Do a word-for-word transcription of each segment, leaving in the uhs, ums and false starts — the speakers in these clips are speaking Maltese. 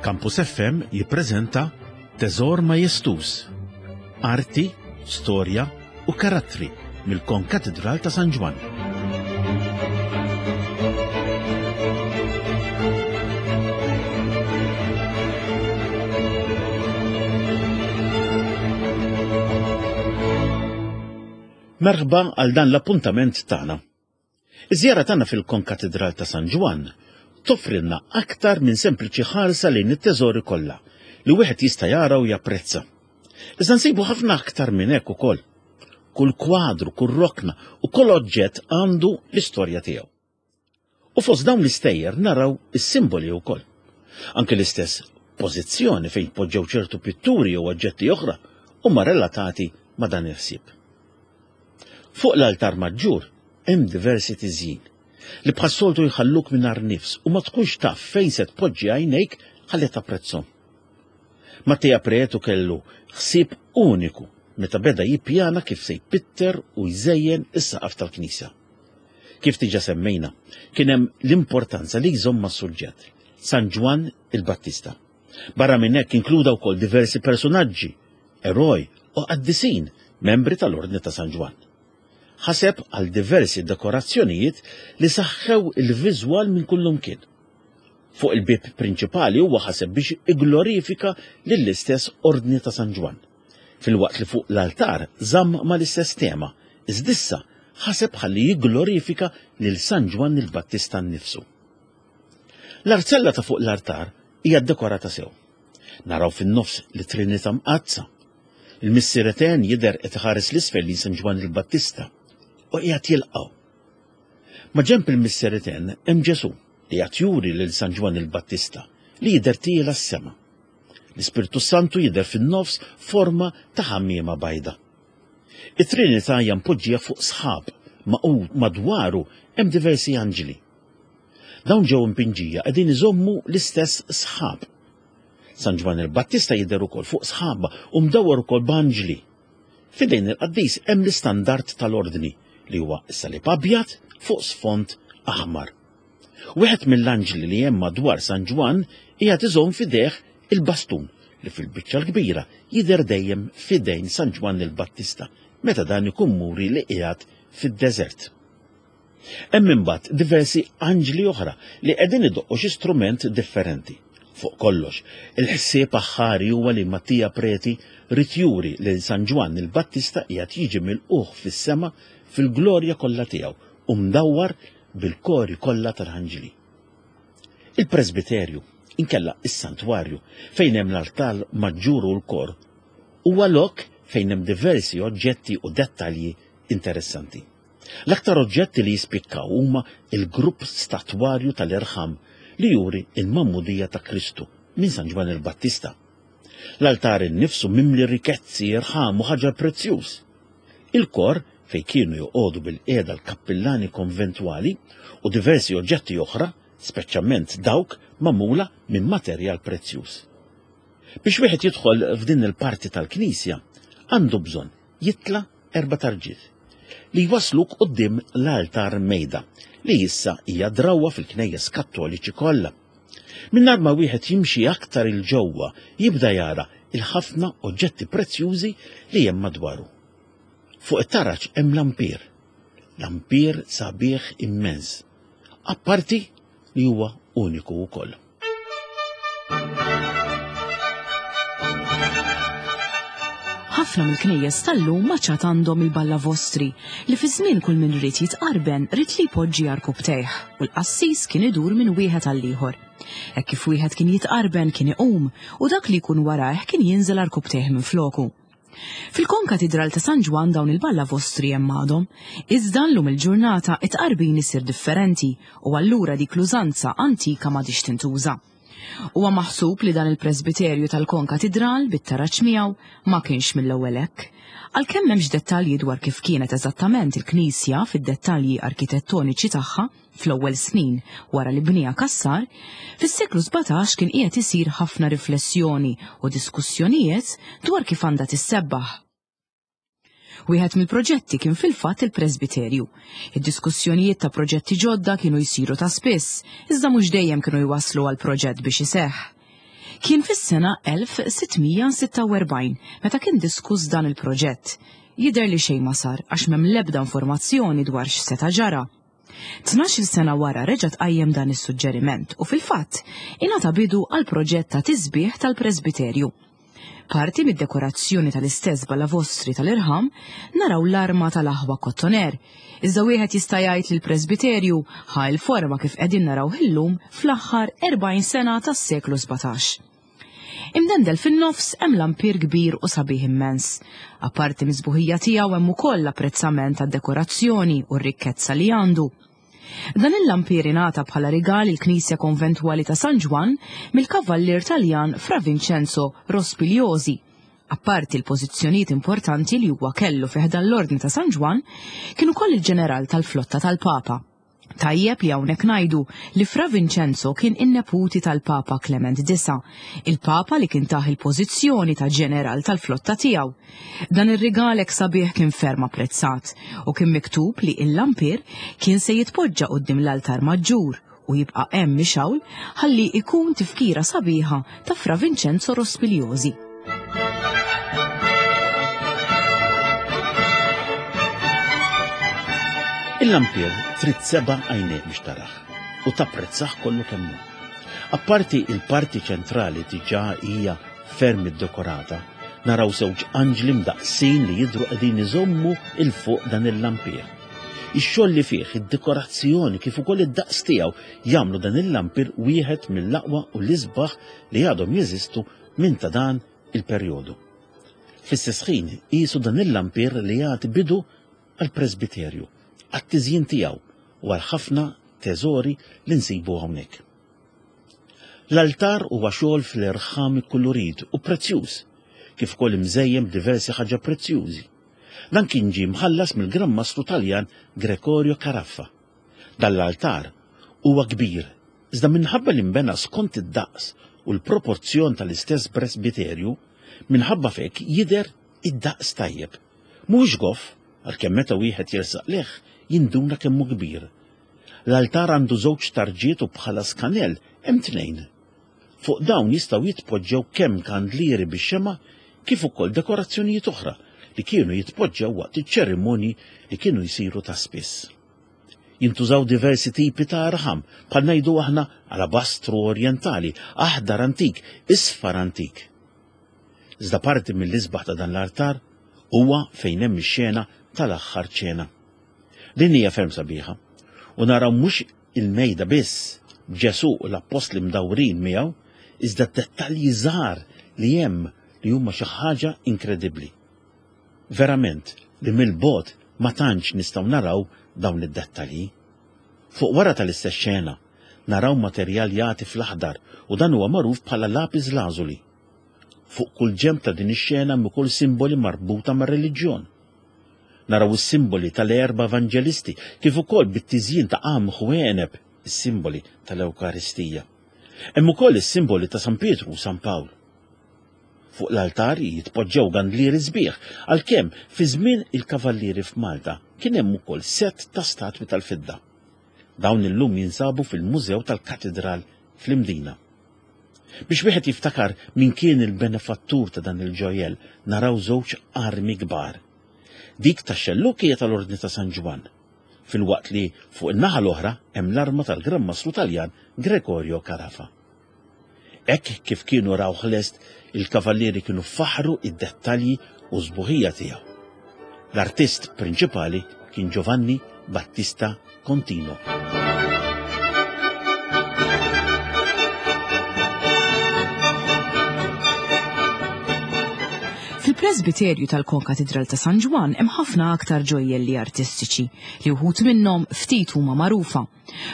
Campus F M jippreżenta Teżor Majestuż. Arti, storja u karattri mill-Konkatedral ta' San Ġwann. Merħba għal dan l-appuntament tagħna. Iż-żjara tagħna fil-Konkatedral ta' San Ġwann toffrilna aktar minn sempliċi ħarsa lejn it-teżori kollha li wieħed jista' jara u japprezza. Iżda nsibu ħafna aktar minn hekk ukoll. Kull kwadru, kull rokna u kull oġġett għandu l-istorja tiegħu. U fost dawn l-istejjer naraw is-simboli wkoll. Anke l-istess pożizzjoni fejn poġġew ċertu pitturi jew oġġetti oħra huma relatati ma' dan il-ħsieb. Fuq l-altar maġġur hemm diversi tiżjin li bħas-soltu jħalluk mingħajr nifs u ma tkunx taf fejn se tpoġġi għajnejk ħalli tapprezzhom. Mattia Preto kellu ħsieb uniku meta beda jippjana kif se jpitter u jżejjen is-saqaf tal-knisja. Kif diġà semmejna, kien hemm l-importanza li jżomm mas-suġġett, San Ġwann il-Battista. Barra minn hekk inkluda wkoll diversi personaġġi, eroj u qaddisin, membri tal-Ordni ta' San Ġwann. Ħaseb għal diversi dekorazzjonijiet li saħħew il-viżwal minn kullumkien. Fuq il-bib prinċipali huwa ħaseb biex iglorifika lill-istess Ordni ta' San Ġwann. Filwaqt li fuq l-altar żamm mal-istess tema, iżda issa ħaseb ħalli jigglorifika lil San Ġwann il-Battista nnifsu. L-arzella ta' fuq l-altar hija dekorata sew. Naraw fin-nofs li Trinità Mqaddsa. Il-Missier Etern jidher qed iħares l-isfel lil San Ġwann il-Battista u qiegħed jilqgħu. Ma ġenb il-Missier Etern hemm Ġesù li qed juri lil San Ġwann il-Battista li jidher tiela s-sema. L-Ispirtu Santu jidher fin-nofs forma ta' ħammiema bajda. It-Trinità hija mpoġġija fuq sħab magħqud madwaru hemm diversi anġli. Dawn ġew impinġija qegħdin iżommu l-istess sħab. San Ġwann il-Battista jidher ukoll fuq sħaba u mdawwar ukoll b'anġli. F'idejn il-qaddis hemm l-istandard tal-ordni li huwa s-salib abjad fuq sfond aħmar. Wieħed mill-anġli li hemm madwar San Ġwann qiegħed iżomm f'idejh il-bastun li fil-biċċa l-kbira jidher dejjem f'idejn San Ġwann il-Battista meta dan ikun muri li qiegħed fid-deżert. Hemm imbagħad diversi anġli oħra li qegħdin idoqqu xi strument differenti. Fuq kollox, il-ħsieb aħħari huwa li Mattia Preti ried juri lil San Ġwann il-Battista qiegħed jiġi milqugħ fis-sema fil-glorja kollha tiegħu u mdawwar bil-kori kollha tal-anġli. Il-presbiterju, inkella is-santwarju, fejn hemm l-altar maġġur u l-kor, huwa lok fejn hemm diversi oġġetti u dettalji interessanti. L-aktar oġġetti li jispikkaw huma il-grupp statwarju tal-irħam li juri il-Magħmudija ta' Kristu minn San Ġwann il-Battista. L-altar innifsu mimli rikezzi, irħam u ħaġar prezzjuż. Il-kor fejn kienu joqogħdu bil-qiegħda l-kappillani konventwali u diversi oġġetti oħra, speċjalment dawk magħmula minn materjal prezzjuż. Biex wieħed jidħol f'din il-parti tal-knisja, għandu bżonn jitla' erba' tarġiet li jwasluk quddiem l-altar mejda li issa hija drawwa fil-knejjes Kattoliċi kollha. Mingħajr ma wieħed jimxi aktar 'il ġewwa jibda jara il-ħafna oġġetti prezzjużi li hemm madwaru. Fuq it-taraġ hemm lampir, lampir sabiħ immens, apparti li huwa uniku wkoll. Ħafna mill-knejjes tal-lum ma ċat għandhom il-balla vostri li fi żmien kull min ried jitqarben ried li jpoġġi għarkupptejh u l-qassis kien idur minn wieħed għal ieħor. Hekk kif wieħed kien jitqarben kien iqum u dak li jkun warajh kien jinżel għarkupptejh minn floku. Fil-Konkatidral ta' San Ġwann dawn il-balla vostri hemm għadhom, iżda llum il-ġurnata it-tqarbin isir differenti u allura dik l-użanza antika m'għadhiex tintuża. Huwa maħsub li dan il-presbiterju tal-Konkatidral bit-taraġ miegħu ma kienx mill-ewwel hekk. Għalkemm m'hemmx dettalji dwar kif kienet eżattament il-knisja fid-dettalji arkitettoniċi tagħha fl-ewwel snin wara li bniha Cassar, fis-seklu sbatax kien qiegħed isir ħafna riflessjoni u diskussjonijiet dwar kif għandha tissebbaħ. Wieħed mill-proġetti kien fil-fatt il-presbiterju. Id-diskussjonijiet ta' proġetti ġodda kienu jsiru ta' spiss, iżda mhux dejjem kienu jwasslu għal proġett biex iseħħ. Kien fis-sena elf sitt mija sitta u erbgħin meta kien diskuss dan il-proġett. Jidher li xejn ma sar għax m'hemm l-ebda informazzjoni dwar x'seta' ġara. Tnax-il sena wara reġa' tqajjem dan is-suġġeriment u fil-fatt ingħata bidu għal proġett ta' tisbieħ tal-presbiterju. Parti mid-dekorazzjoni tal-istess balavostri tal-irħam naraw l-arma tal-aħwa Kottoner. Iżda wieħed jista' jgħid li l-presbiterju ħa l-forma kif qegħdin naraw illum fl-aħħar erbgħin sena tas-seklu sbatax. Imdendel fin-nofs hemm lampir kbir u sabiħ immens. Apparti miż-sbuħija tiegħu hemm ukoll l-apprezzament tad-dekorazzjoni u r-rikkezza li għandu. Dan il-lampir ingħata bħala rigal il-Knisja Konventwali ta' San Ġwann mill-Kavallier Taljan Fra Vincenzo Rospigliosi. Apparti l-pożizzjonijiet importanti li huwa kellu fi ħdan l-Ordni ta' San Ġwann, kien ukoll il-ġeneral tal-flotta tal-Papa. Tajjeb li hawnhekk ngħidu li Fra Vincenzo kien in-neputi tal-Papa Clement disa, il-Papa li kien tah il-pożizzjoni ta' ġeneral tal-flotta tiegħu. Dan ir-rigal hekk sabiħ kien ferm apprezzat u kien miktub li il-lampir kien se jitpoġġa quddiem l-altar maġġur u jibqa' hemm mixgħul ħalli ikun tifkira sabiħa ta' Fra Vincenzo Rospigliosi. Il-lampir trid seba' għajnejk biex taraħ u tapprezzah kollu kemm hu. Apparti il-parti ċentrali diġà hija ferm iddekorata, naraw żewġ anġli mdaqsin li jidhru qegħdin iżommu il fuq dan il-lampir. Ix-xogħol li fih, id-dekorazzjoni kif ukoll id-daqs tiegħu jagħmlu dan il-lampir wieħed mill-aqwa u l-isbaħ li għadhom jeżistu minn ta' dan il-perjodu. Fl-istess ħin qisu dan il-lampir li jagħti bidu għall-presbiterju, għat-tiżjin tiegħu u għal ħafna teżori li nsibu hawnhekk. L-altar huwa xogħol fl-irħam ikkulurit u prezzjuż, kif ukoll imżejjen b'diversi ħaġa prezzjużi. Dan kien ġie mħallas mill-Gran Mastru Taljan Gregorio Caraffa. Dan l-altar huwa kbir, iżda minħabba li nbena skont id-daqs u l-proporzjon tal-istess presbiterju, minħabba f'hekk jidher id-daqs tajjeb. Mhuwiex goff, għalkemm meta wieħed jersaq leh jinduna kemm hu kbir. L-altar għandu żewġ tarġiet u bħala skanell hemm tnejn. Fuq dawn jistgħu jitpoġġew kemm kandlieri bix-xema' kif ukoll dekorazzjonijiet oħra li kienu jitpoġġew waqt iċ-ċerimonji li kienu jsiru ta' spiss. Jintużaw diversi tipi ta' arħam, bħal ngħidu aħna alabastru orjentali, aħdar antik, isfar antik. Iżda parti mill-isbaħ ta' dan l-altar huwa fejn hemm ix-xena tal-aħħar ċena. Din hija ferm sabiħa u naraw mhux il-mejda biss b'Ġesù u l-appostli mdawrin miegħu, iżda d-dettalji żgħar li hemm li huma xi ħaġa inkredibbli. Verament li mill-bogħod ma tantx nistgħu naraw dawn id-dettalji. Fuq wara tal-istess xena naraw materjal jagħti fl-aħdar u dan huwa magħruf bħala lapis lazuli. Fuq kull ġenb ta' din ix-xena hemm ukoll simboli marbuta mar-reliġjon. Naraw is-simboli tal-erba' evanġelisti kif ukoll bit-tiżjin ta' qamħ u għeneb, is-simboli tal-Ewkaristija. Hemm ukoll is-simboli ta' San Pietru u San Pawl. Fuq l-altar jitpoġġew gandlieri sbieħ, għalkemm fi żmien il-kavallieri f'Malta kien hemm ukoll sett ta' statwi tal-fidda. Dawn illum jinsabu fil-Mużew tal-Katedral fl-Imdina. Biex wieħed jiftakar min kien il-benefattur ta' dan il-ġojjel, naraw żewġ armi kbar. Dik tax-xelluk hija tal-Ordni ta' San Ġwann, filwaqt li fuq in-naħa l-oħra hemm l-arma tal-Gran Mastru Taljan Gregorio Carafa. Hekk kif kienu rawh lest, il-kavallieri kienu faħru id-dettalji u sbuħija tiegħu. L-artist prinċipali kien Giovanni Battista Contino. Fil-presbiterju tal-Konkatedral ta' San Ġwann hemm ħafna aktar ġojjelli artistiċi li wħud minnhom ftit huma magħrufa.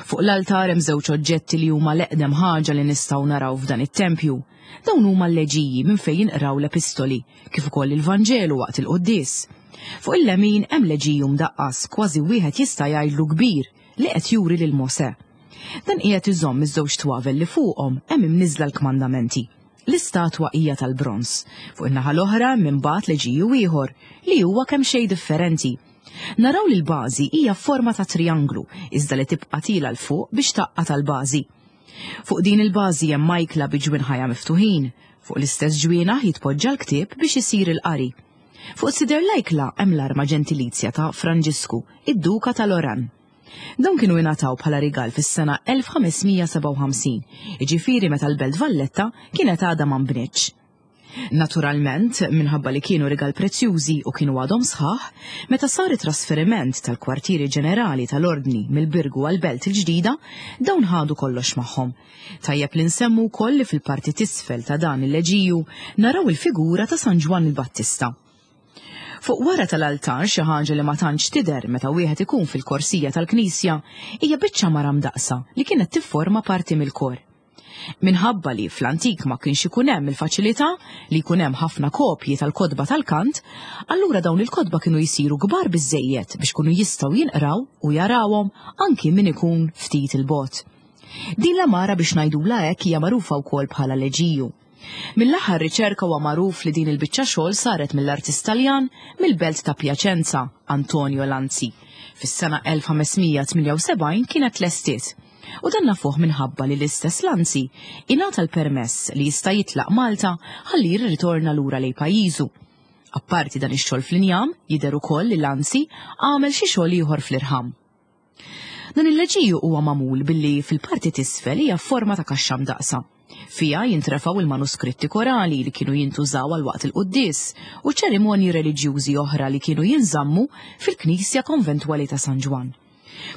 Fuq l-altar hemm żewġ oġġetti li huma l-eqdem ħaġa li nistgħu naraw f'dan it-tempju. Dawn huma l-leġiji minn fejn jinqraw l-epistoli, kif ukoll il-Vanġelu waqt il-quddies. Fuq il-lemin hemm leġiju mdaqqas kważi wieħed jista' jgħidlu kbir li qed juri lil Mosè. Dan qiegħed iżomm iż-żewġ twavel li fuqhom hemm imniżla l-kmandamenti. L-istatwa hija tal-bronż. Fuq in-naħa l-oħra hemm imbagħad leġiju ieħor li huwa kemm xejn differenti. Naraw li l-bażi hija forma ta' trianglu, iżda li tibqa' tila l fuq biex taqqa' tal-bażi. Fuq din il-bażi hemm majkla bi ġwinħajha miftuħin, fuq l-istess ġwienaħ jitpoġġa l-ktieb biex isir il-qari. Fuq sider l-ajkla hemm l-arma ġentilizja ta' Franġisku, id-Duka tal-Oran. Dawn kienu ingħataw bħala rigal fis-sena elf ħames mija sebgħa u ħamsin, jiġifieri meta l-Belt Valletta kienet għadha ma nbnietx. Naturalment, minħabba li kienu rigal prezzjużi u kienu għadhom sħaħ, meta sar it-trasferiment tal-kwartieri ġenerali tal-Ordni mill-Birgu għall-Belt il-ġdida, dawn ħadu kollox magħhom. Tajjeb li nsemmu wkoll li fil-parti t'isfel ta' dan il-leġiju naraw il-figura ta' San Ġwann il-Battista. Fuq wara tal-altar, xi ħaġa li ma tantx tidher meta wieħed ikun fil-korsija tal-knisja, hija biċċa mara mdaqsa li kienet tifforma parti mill-kor. Minħabba li fl-antik ma kienx ikun hemm il-faċilità li jkun hemm ħafna kopji tal-kotba tal-kant, allura dawn il-kotba kienu jsiru kbar biżżejjed biex kunu jistgħu jinqraw u jarawhom anki min ikun ftit il-bogħod. Din l-amara biex ngħidulha hekk hija magħrufa wkoll bħala leġiju. Mill-aħħar riċerka huwa magħruf li din il-biċċa xogħol saret mill-artist Taljan mill-belt ta' Piacenza, Antonio Lanzi. Fis-sena elf ħames mija tmienja u sebgħin kienet lestiet. U dan nafuh minħabba li l-istess Lanzi ingħata l-permess li jista' jitlaq Malta ħalli jirritorna lura lejn pajjiżu. Apparti dan ix-xogħol fl-injam, jidher ukoll li Lanzi għamel xi xogħol ieħor fl-irħam. Dan il-leġiju huwa magħmul billi fil-parti t'isfel hija forma ta' kaxxa mdaqsa. Fija jintrefaw il-manuskritti korali li kienu jintużaw għal waqt il-quddies u ċerimonji reliġjużi oħra li kienu jinżammu fil-Knisja Konventwali ta' San Ġwann.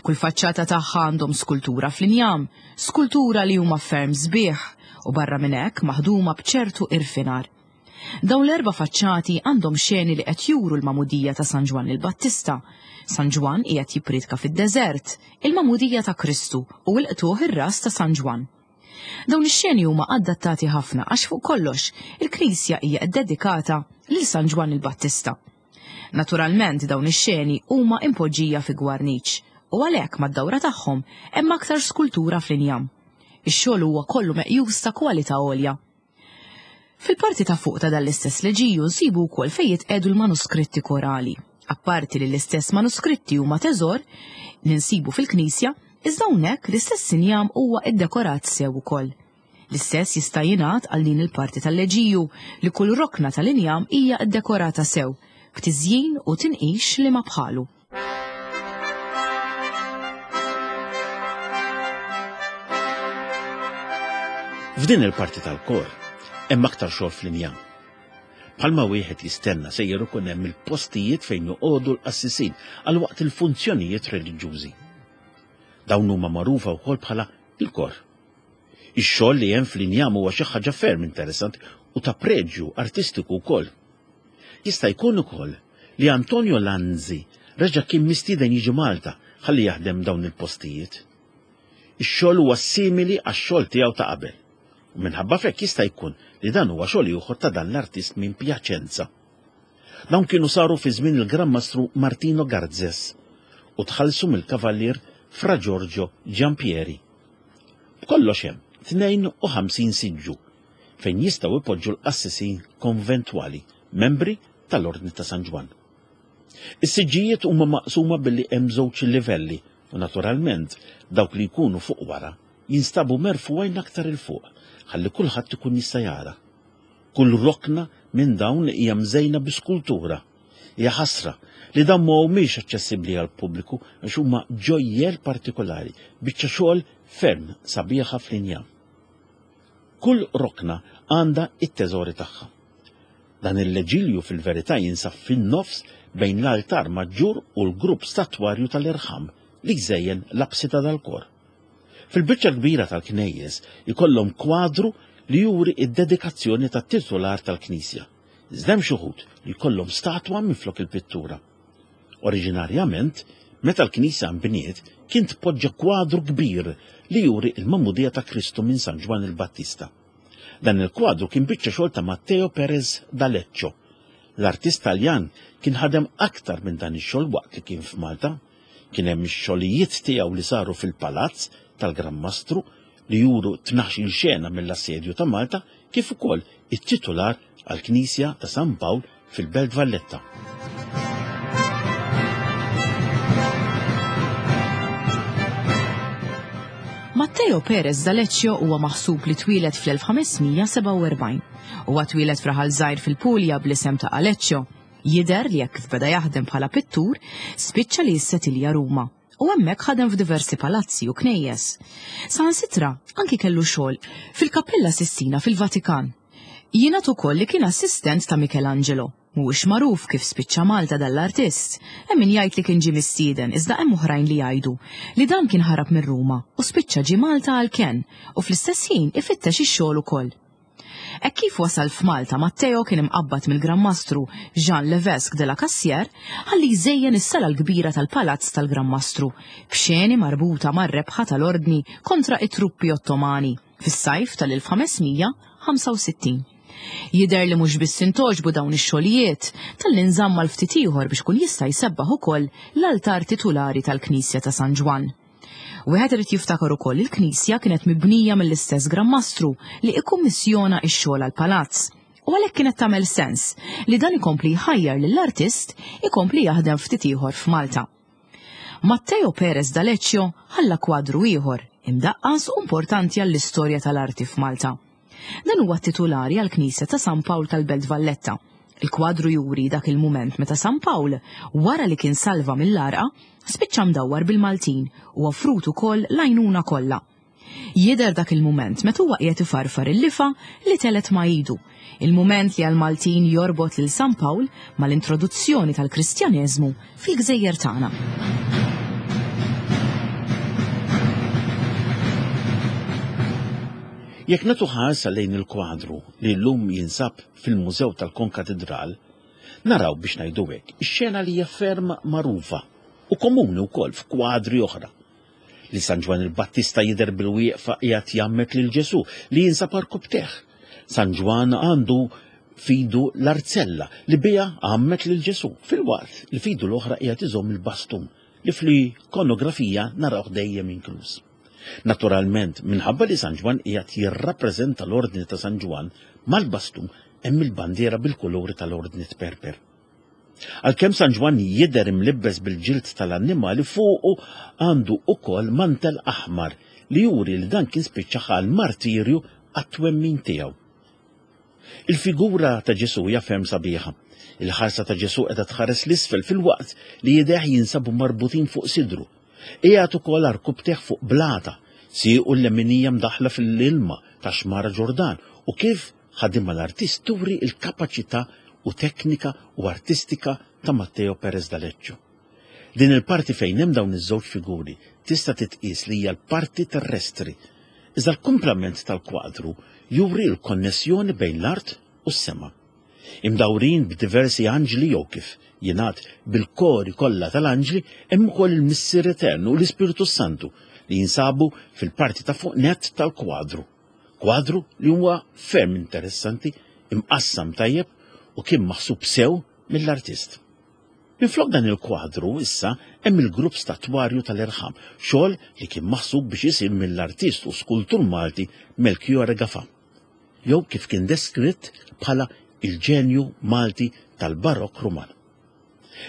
Kull faċċata tagħha għandhom skultura fl-injam, skultura li huma ferm sbieħ u barra minn hekk maħduma b'ċertu irfinar. Dawn l-erba' faċċati għandhom xeni li qed juru l-magħmudija ta' San Ġwann il-Battista. San Ġwann qiegħed jippriedka fid-deżert, il-magħmudija ta' Kristu u l-qtuħ ir-ras ta' San Ġwann. Dawn ix-xeni huma adattati ħafna għax fuq kollox il-Knisja hija ddedikata lil San Ġwann il-Battista. Naturalment dawn ix-xeni huma impoġġija fi gwarniċ u għalhekk mad-dawra tagħhom hemm aktar skultura fl-injam. Ix-xogħol huwa kollu meqjus ta' kwalità għolja. Fil-parti ta' fuq ta' dan l-istess leġiju nsibu wkoll fejn jitqiegħdu l-manuskritti korali. Apparti li l-istess manuskritti huma teżor li nsibu fil-Knisja, iżda hawnhekk l-istess injam huwa iddekorat sew ukoll. L-istess jista' jingħad għal din il-parti tal-leġiju li kull rokna tal-injam hija ddekorata sew, b'tiżjin u tinqix li ma bħalu. F'din il-parti tal-kor hemm aktar xogħol fl-injam. Bħalma wieħed jistenna sejjer ikun hemm il-postijiet fejn joqogħdu l-qassisin għal waqt il-funzjonijiet reliġjużi. Dawn huma magħrufa wkoll bħala il-kor. Ix-xogħol li hemm fl-injam huwa xi ħaġa ferm interessanti u ta' preġju artistiku wkoll. Jista' jkun ukoll li Antonio Lanzi reġa' kien mistieden jiġi Malta ħalli jaħdem dawn il-postijiet. Ix-xogħol huwa simili għax-xogħol tiegħu ta' qabel. U minħabba f'hekk jista' jkun li dan huwa xogħol ieħor ta' dan l-artist minn Piacenza. Dawn kienu saru fi żmien il-Gran Mastru Martino Garzes u tħallsu mill-Kavallier Fra Giorgio Giampieri. B'kollox hemm tnejn u ħamsin siġġu fejn jistgħu ipoġġu l-qassisin konventwali, membri tal-Ordni ta' San Ġwann. Is-siġġijiet huma maqsuma billi hemm żewġ livelli u naturalment dawk li jkunu fuq wara jinstabu merfugħin aktar il fuq ħalli kulħadd ikun jista' jara. Kull rokna minn dawn hija mżejna bi skultura. Hija ħasra li dawn ma humiex aċċessibbli għall-pubbliku għax huma ġojjel partikolari, biċċa xogħol ferm sabiħa fl-injam. Kull rokna għandha it-teżori tagħha. Dan il-leġilju fil-verità jinsab fin-nofs bejn l-altar maġġur u l-grupp statwarju tal-irħam li jżejjen l-apsida dal-kor. Fil-biċċa kbira tal-knejjes ikollhom kwadru li juri id-dedikazzjoni tat-titular tal-knisja. Iżda hemm xi wħud li jkollhom statwa minflok il-pittura. Oriġinarjament, meta l-knisja nbniet, kien tpoġġa kwadru kbir li juri il-magħmudija ta' Kristu minn San Ġwann il-Battista. Dan il-kwadru kien biċċa xogħol ta' Matteo Perez d'Aleccio. L-artist Taljan kien ħadem aktar minn dan ix-xogħol waqt li kien f'Malta. Kien hemm ix-xogħlijiet tiegħu li saru fil-palazz tal-Gran Mastru li juru tnax-il xena mill-assedju ta' Malta, kif ukoll it-titular għall-Knisja ta' San Pawl fil-Belt Valletta. Matteo Perez d'Aleccio huwa maħsub li twieled fl-elf ħames mija sebgħa u erbgħin. Huwa twieled f'raħal żgħir fil-Pulja bl-isem ta' Aleccio. Jidher li jekk kif beda jaħdem bħala pittur, spiċċa li jissetilja Ruma u hemmhekk ħadem f'diversi palazzi u knejjes. Saħansitra anki kellu xogħol fil-Kappella Sistina fil-Vatikan. Jingħad ukoll li kien assistent ta' Michelangelo. Mhuwiex magħruf kif spiċċa Malta dal-artist. Hemm min jgħid li kien ġie mistieden, iżda hemm oħrajn li jgħidu li dan kien ħarab minn Ruma u spiċċa ġie Malta għall-kenn u fl-istess ħin ifittex ix-xogħol ukoll. Hekk kif wasal f'Malta, Matteo kien imqabbad mill-Gran Mastru Jean Levesque de la Cassière ħalli jżejjen is-sala l-kbira tal-Palazz tal-Gran Mastru b'xeni marbuta mar-rebħa tal-Ordni kontra it-truppi Ottomani fis-sajf tal-elf ħames mija ħamsa u sittin. Jidher li mhux biss intogħġbu dawn ix-xogħlijiet talli nżamm għal ftit ieħor biex kun jista' jsebbaħ ukoll l-altar titulari tal-Knisja ta' San Ġwann. Wieħed irid jiftakar ukoll il-knisja kienet mibnija mill-istess Gran Mastru li ikkummissjona x-xogħol għall-palazz. U għalhekk kienet tagħmel sens li dan ikompli jħajjar lill-artist ikompli jaħdem ftit ieħor f'Malta. Matteo Perez d'Aleccio ħalla kwadru ieħor imdaqqas u importanti għall-istorja tal-arti f'Malta. Dan huwa titulari għall-Knisja ta' San Pawl tal-Belt Valletta. Il-kwadru juri dak il-mument meta San Pawl, wara li kien salva mill-għarqa, spiċċa mdawwar bil-Maltin u offrut ukoll l-għajnuna kollha. Jidher dak il-mument meta huwa qiegħed ifarfar il-lifa li telgħet ma' idu. Il-mument li għal-Maltin jorbot lil San Pawl mal-introduzzjoni tal-Kristjaneżmu fil-gżejjer tagħna. Jekk nagħtu ħarsa lejn il-kwadru li llum jinsab fil-Mużew tal-Konkatedral, naraw, biex ngħidu hekk, ix-xena li hija ferm magħrufa u komuni wkoll f'kwadri oħra. Li San Ġwann il-Battista jidher bil-wieqfa qiegħed jgħammed lil Ġesù li jinsab għarkupptejh. San Ġwann għandu f'idu l-arzella li biha għammed lil Ġesù, filwaqt li f'idu l-oħra qiegħed iżomm il-bastun li fl-ikonografija narawh dejjem inkluż. Naturalment, minħabba li San Ġwann qiegħed jirrappreżenta l-Ordni ta' San Ġwann, mal-bastun hemm il-bandiera bil-kuluri tal-Ordni tperper. Għalkemm San Ġwann jidher imlibbes bil-ġild tal-annimali, fuqu għandu ukoll mantel aħmar li juri li dan kien spiċċa ħa l-martirju għat-twemmin tiegħu. Il-figura ta' Ġesù hija ferm sabiħa. Il-ħarsa ta' Ġesù qiegħda tħares l-isfel filwaqt li idejh jinsabu marbutin fuq sidru. Qiegħed ukoll għarkupptejh fuq blata, siequ l-leminija mdaħla fil-ilma ta' xmara Ġordan, u kif ħadimha l-artist turi il-kapaċità u teknika u artistika ta' Matteo Perez d'Aleccio. Din il-parti fejn hemm dawn iż-żewġ figuri tista' titqies li hija l-parti terrestri, iżda l-kumplament tal-kwadru juri l-konnessjoni bejn l-art u s-sema. Imdawrin b'diversi anġli jew, kif jingħad, bil-kori kollha tal-anġli, hemm ukoll il-Missier Eternu u l-Ispirtu Santu li jinsabu fil-parti ta' fuq net tal-kwadru. Kwadru li huwa ferm interessanti, imqassam tajjeb u kien maħsub sew mill-artist. Minflok dan il-kwadru issa hemm il-grupp statwarju tal-irħam, xogħol li kien maħsub biex isir mill-artist u skultur Malti Melchiorre Gafà, jew kif kien deskritt bħala il-ġenju Malti tal-Barok Ruman.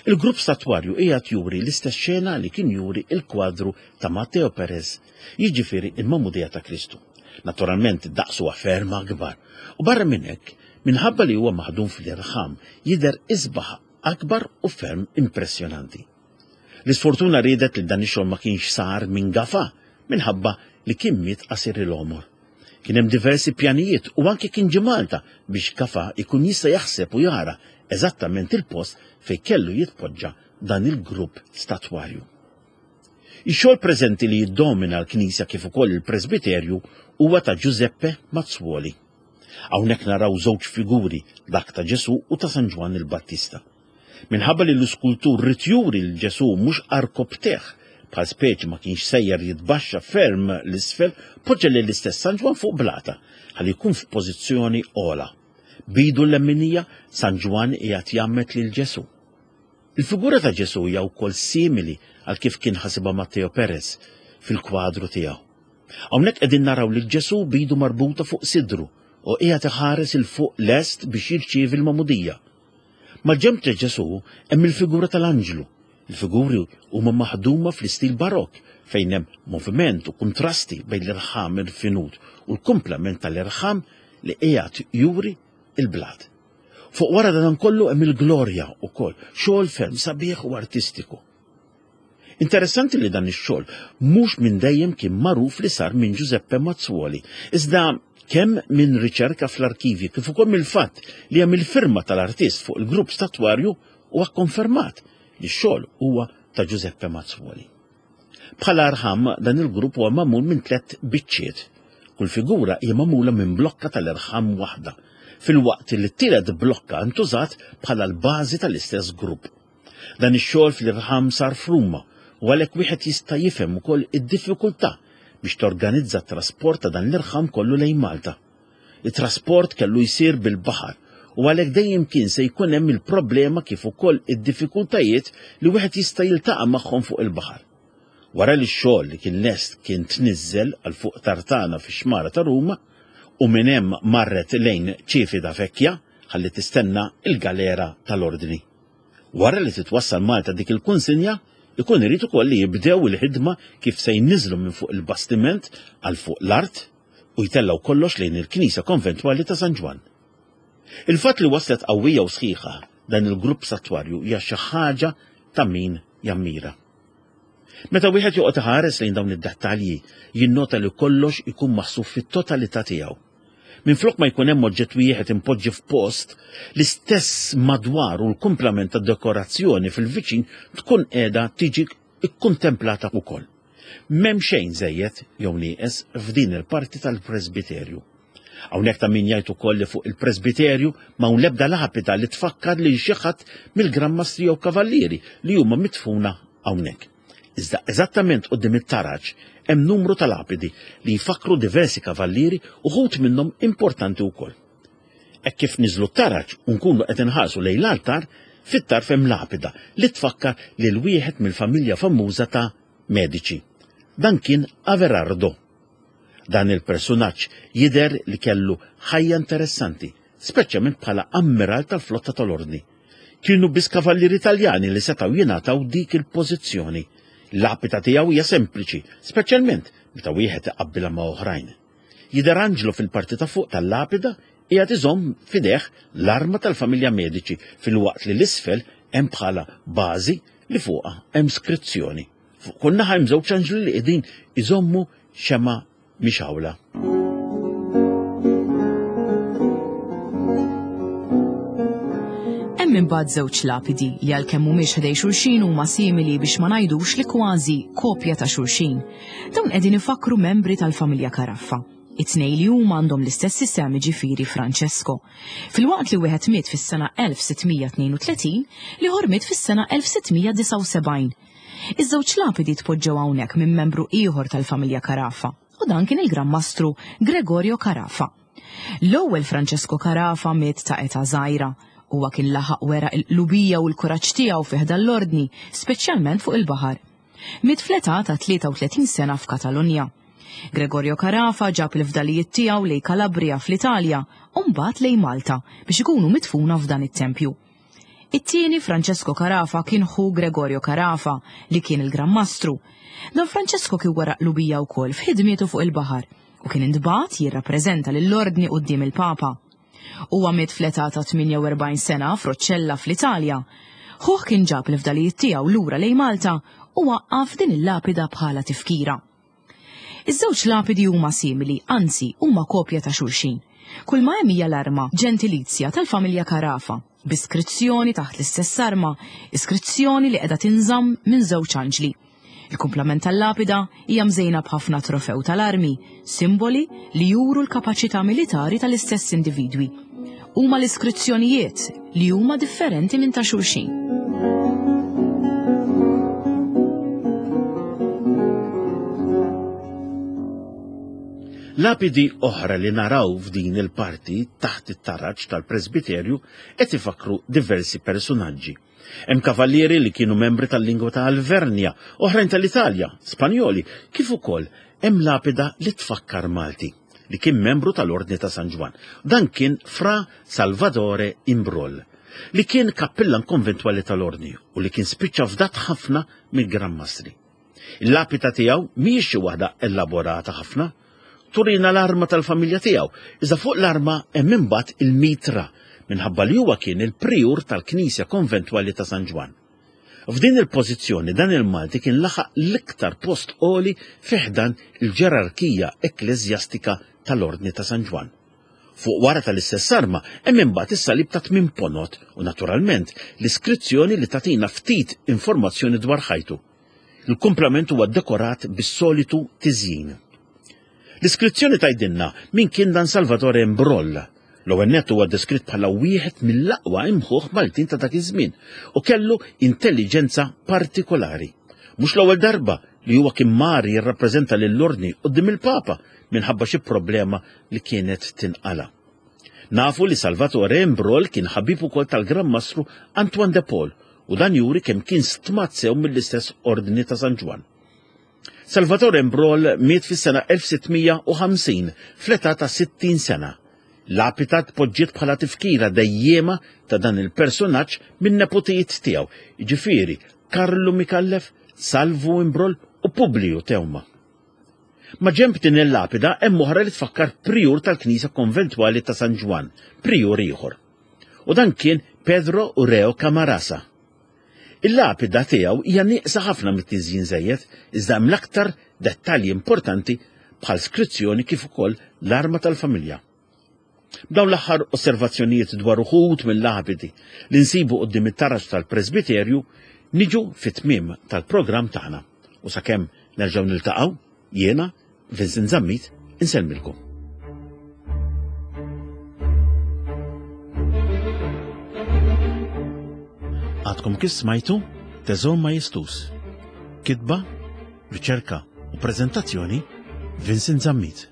Il-grupp statwarju qiegħed juri l-istess xena li kien juri il-kwadru ta' Matteo Perez, jiġifieri il-Magħmudija ta' Kristu. Naturalment daqsu huwa ferm akbar. U barra minn hekk, minħabba li huwa maħdum fl-irħam, jidher isbaħ, akbar u ferm impressjonanti. L-isfortuna riedet li dan ix-xogħol ma kienx sar minn Gafà minħabba li kien miet qasir il-għomor. Kien hemm diversi pjanijiet u anke kien ġie Malta biex Gafà ikun jista' jaħseb u jara eżattament il-post fejn kellu jitpoġġa dan il-grupp statwarju. Ix-xogħol preżenti li jiddomina l-knisja kif ukoll il-presbiterju huwa ta' Giuseppe Mazzuoli. Hawnhekk naraw żewġ figuri, dak ta' Ġesù u ta' San Ġwann il-Battista. Minħabba li l-iskultur ried juri lil Ġesù mhux għarkupptejh, bħal speċi ma kienx sejjer jitbaxxa ferm l-isfel, poġġa lill-istess San Ġwann fuq blata ħalli jkun f'pożizzjoni ogħla. B'idu l-leminija San Ġwann qiegħed jgħammed lil Ġesù. Il-figura ta' Ġesù hija wkoll simili għal kif kien ħasibha Matteo Perez fil-kwadru tiegħu. Hawnhekk qegħdin naraw lil Ġesù b'idu marbuta fuq sidru u qiegħed iħares 'il fuq lest biex jirċievi l-magħmudija. Mal-ġenb ta' Ġesù hemm il-figura tal-anġlu. Il-figuri huma maħduma fl-istil barok fejn hemm moviment u kuntrasti bejn l-irħam irfinut u l-kumplament tal-irħam li qiegħed juri il-blat. Fuq wara dan kollu hemm il-glorja wkoll, xogħol ferm sabiħ u artistiku. Interessanti li dan ix-xogħol mhux minn dejjem kien magħruf li sar minn Giuseppe Mazzuoli, iżda kemm minn riċerka fl-arkivji kif ukoll mill-fatt li hemm il-firma tal-artist fuq il-grupp statwarju huwa kkonfermat li x-xogħol huwa ta' Giuseppe Mazzuoli. Bħala rħam dan il-grupp huwa magħmul minn tliet biċċiet. Kull figura hija magħmula minn blokka tal-irħam waħda, filwaqt li t-tielet blokka ntużat bħala l-bażi tal-istess grupp. Dan ix-xogħol fl-irħam sar f'Ruma u għalhekk wieħed jista' jifhem ukoll id-diffikultà biex torganizza t-trasport ta' dan l-irħam kollu lejn Malta. Il-trasport kellu jsir bil-baħar u għalhekk dejjem kien se jkun hemm il-problema kif ukoll id-diffikultajiet li wieħed jista' jiltaqa' magħhom fuq il-baħar. Wara li x-xogħol li kien lest kien tniżżel għal fuq tartana fix-xmara ta' Ruma u minn hemm marret lejn Civita Vecchia ħalli tistenna il-galera tal-Ordni. Wara li titwassal Malta dik il-kunsinja, ikun irid ukoll li jibdew il-ħidma kif se jniżlu minn fuq il-bastiment għal fuq l-art u jtellgħu kollox lejn il-Knisja Konventwali ta' San Ġwann. Il-fatt li waslet qawwija u sħiħa dan il-grupp statwarju hija xi ħaġa ta' min jammira. Meta wieħed joqgħod iħares lejn dawn id-dettalji, jinnota li kollox ikun maħsub fit-totalità tiegħu. Minflok ma jkun hemm oġġett wieħed impoġġi f'post, l-istess madwar u l-kumplament tad-dekorazzjoni fil-viċin tkun qiegħda tiġi ikkontemplata wkoll. M'hemm xejn żejjed jew nieqes f'din il-parti tal-presbiterju. Hawnhekk ta' min jgħid ukoll li fuq il-presbiterju m'hawn l-ebda lapida li tfakkar lil xi ħadd mill-Gran Mastri jew Kavallieri li huma midfuna hawnhekk. Iżda eżattament quddiem it-taraġ hemm numru ta' lapidi li jfakkru diversi kavallieri uħud minnhom importanti wkoll. Hekk kif niżlu t-taraġ u nkunu qed inħarsu lejn l-altar, fit-tarf hemm lapida li tfakkar lil wieħed mill-familja famuża ta' Medici. Dan kien Averardo. Dan il-personaġġ jidher li kellu ħajja interessanti, speċjalment bħala ammiral tal-flotta tal-Ordni. Kienu biss kavallieri Taljani li setgħu jingħataw dik il-pożizzjoni. L-lapida tiegħu hija sempliċi, speċjalment meta wieħed iqabbilha ma' oħrajn. Jidher anġlu fil-parti ta' fuq tal-lapida qiegħed iżomm f'idejh l-arma tal-familja Medici filwaqt li l-isfel hemm bħala bażi li fuqha hemm skrizzjoni. Fuq kull naħa hemm żewġ anġli li qegħdin iżommu xemgħa mixgħula. Hemm imbagħad żewġ lapidi li għalkemm mhumiex ħdej xulxin huma simili biex ma ngħidux li kważi kopja ta' xulxin. Dawn qegħdin ifakkru membri tal-familja Caraffa. It-tnejn li huma għandhom l-istess isem, jiġifieri Francesco. Filwaqt li wieħed miet fis-sena elf sittmija tnejn u tletin, l-ieħor miet fis-sena elf sittmija disgħa u sebgħin. Iż-żewġ lapidi tpoġġew hawnhekk minn membru ieħor tal-familja Caraffa, u dan kien il-Gran Mastru Gregorio Caraffa. L-ewwel Francesco Caraffa miet ta' età żgħira. Huwa kien laħaq wera l-qlubija u l-kuraġġ tiegħu fi ħdan l-ordni, speċjalment fuq il-baħar. Miet fl-età ta' tlieta u tletin sena f'Katalunja. Gregorio Caraffa ġab il-fdalijiet tiegħu lejn Calabria fl-Italja u mbagħad lejn Malta biex ikunu midfuna f'dan it-tempju. It-tieni Francesco Caraffa kien ħu Gregorio Caraffa li kien il-Gran Mastru. Dan Francesco kien wera qlubija wkoll f'ħidmietu fuq il-baħar u kien intbagħat jirrappreżenta lill-ordni quddiem il-Papa. Huwa miet fl-età ta' tmienja u erbgħin sena f'Roccella fl-Italja. Ħuh kien ġab l-fdalijiet tiegħu lura lejn Malta u waqqaf din il-lapida bħala tifkira. Iż-żewġ lapidi huma simili, anzi huma kopja ta' xulxin. Kull ma hemm hija l-arma ġentilizja tal-familja Caraffa, b'iskrizzjoni taħt l-istess arma, iskrizzjoni li qiegħda tinżamm minn żewġ anġli. Il-kumplament tal-lapida hija mżejna b'ħafna trofew tal-armi, simboli li juru l-kapaċità militari tal-istess individwi. Huma l-iskrizzjonijiet li huma differenti minn ta' xulxin. Lapidi oħra li naraw f'din il-parti taħt it-taraġ tal-presbiterju qed ifakkru diversi personaġġi. Hemm kavallieri li kienu membri tal-lingwa ta' Alvernja, oħrajn tal-Italja, Spanjoli, kif ukoll hemm lapida li tfakkar Malti, li kien membru tal-Ordni ta' San Ġwann. Dan kien Fra Salvatore Imbrol, li kien kappillan konventwali tal-Ordni u li kien spiċċa fdat ħafna mill-Gran Mastri. Il-lapida tiegħu mhijiex xi waħda elaborata ħafna. Turina l-arma tal-familja tiegħu, iżda fuq l-arma hemm imbagħad il-mitra minħabba li huwa kien il-prijur tal-Knisja Konventwali ta' San Ġwann. F'din il-pożizzjoni dan il-Malti kien laħaq l-iktar post għoli fi ħdan il-ġerarkija ekkleżjastika tal-Ordni ta' San Ġwann. Fuq wara tal-istess arma hemm imbagħad is-salib ta' tmien ponot u naturalment l-iskrizzjoni li tagħtina ftit informazzjoni dwar ħajtu. Il-kumplament huwa dekorat bis-solitu tiżjin. L-iskrizzjoni tgħidilna min kien dan Salvatore Imbroll. L-ewwel nett huwa deskritt bħala wieħed mill-aqwa imħuħ Maltin ta' dak iż-żmien u kellu intelliġenza partikolari. Mhux l-ewwel darba li huwa kien mar jirrappreżenta lill-Ordni quddiem il-Papa minħabba xi problema li kienet tinqala. Nafu li Salvatore Imbroll kien ħabib ukoll tal-Gran Mastru Antoine de Paul u dan juri kemm kien stmat sew mill-istess Ordni ta' San Ġwann. Salvatore Imbroll miet fis-sena elf sitt mija u ħamsin fl-età ta' sittin sena. Lapida tpoġġiet bħala tifkira dejjema ta' dan il-personaġġ minn nepotijiet tiegħu, jiġifieri Karlu Micallef, Salvu Imbroll u Publiju Teuma. Ma' ġenb din il-lapida hemm oħra li tfakkar prijur tal-Knisja Konventwali ta' San Ġwann, prijur ieħor. U dan kien Pedro Urreo Camarasa. Il-lapida tiegħu hija nieqsa ħafna mit-tiżjin żejjed, iżda hemm l-aktar dettalji importanti bħal skrizzjoni kif ukoll l-arma tal-familja. B'dawn l-aħħar osservazzjonijiet dwar uħud mill-lapidi li nsibu quddiem it-taraġ tal-presbiterju niġu fit-tmiem tal-programm tagħna. U sakemm nerġgħu niltaqgħu, jiena, Vincent Zammit, insellmilkom. Għadkom kif smajtu Teżor Majestus. Kitba, riċerka u prezentazzjoni Vincent Zammit.